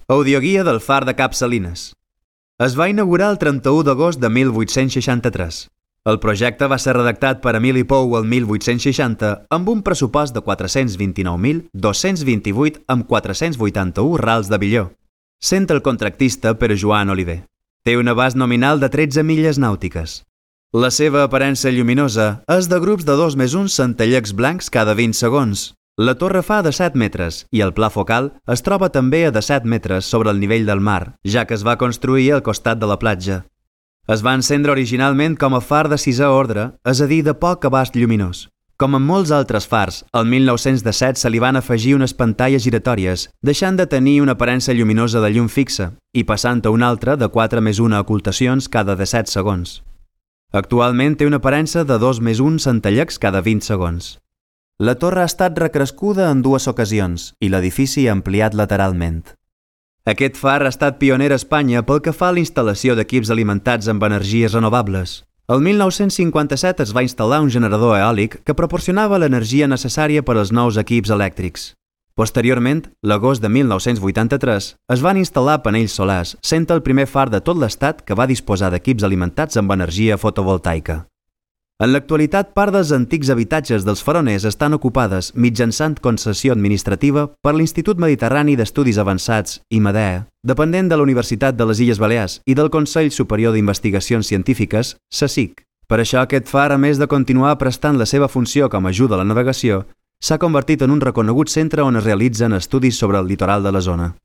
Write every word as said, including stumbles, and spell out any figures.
Audioguia del far de Cap Salines. Es va inaugurar el trenta-u d'agost de mil vuit-cents seixanta-tres. El projecte va ser redactat per Emili Pou el mil vuit-cents seixanta amb un pressupost de quatre-cents vint-i-nou mil dos-cents vint-i-vuit amb quatre-cents vuitanta-u rals de billó, sent el contractista Pere Joan Oliver. Té un abast nominal de tretze milles nàutiques. La seva aparença lluminosa és de grups de dos més un centellecs blancs cada vint segons. La torre fa de set metres i el pla focal es troba també a de set metres sobre el nivell del mar, ja que es va construir al costat de la platja. Es va encendre originalment com a far de sisè ordre, és a dir, de poc abast lluminós. Com en molts altres fars, el mil nou-cents disset se li van afegir unes pantalles giratòries, deixant de tenir una aparença lluminosa de llum fixa i passant a una altra de quatre més una ocultacions cada disset segons. Actualment té una aparença de dos més un centellecs cada vint segons. La torre ha estat recrescuda en dues ocasions i l'edifici ampliat lateralment. Aquest far ha estat pioner a Espanya pel que fa a la instal·lació d'equips alimentats amb energies renovables. El mil nou-cents cinquanta-set es va instal·lar un generador eòlic que proporcionava l'energia necessària per als nous equips elèctrics. Posteriorment, l'agost de mil nou-cents vuitanta-tres, es van instal·lar panells solars, sent el primer far de tot l'estat que va disposar d'equips alimentats amb energia fotovoltaica. En l'actualitat, part dels antics habitatges dels faroners estan ocupades mitjançant concessió administrativa per l'Institut Mediterrani d'Estudis Avançats, I M A D E, dependent de la Universitat de les Illes Balears i del Consell Superior d'Investigacions Científiques, C S I C. Per això aquest far, a més de continuar prestant la seva funció com a ajuda a la navegació, s'ha convertit en un reconegut centre on es realitzen estudis sobre el litoral de la zona.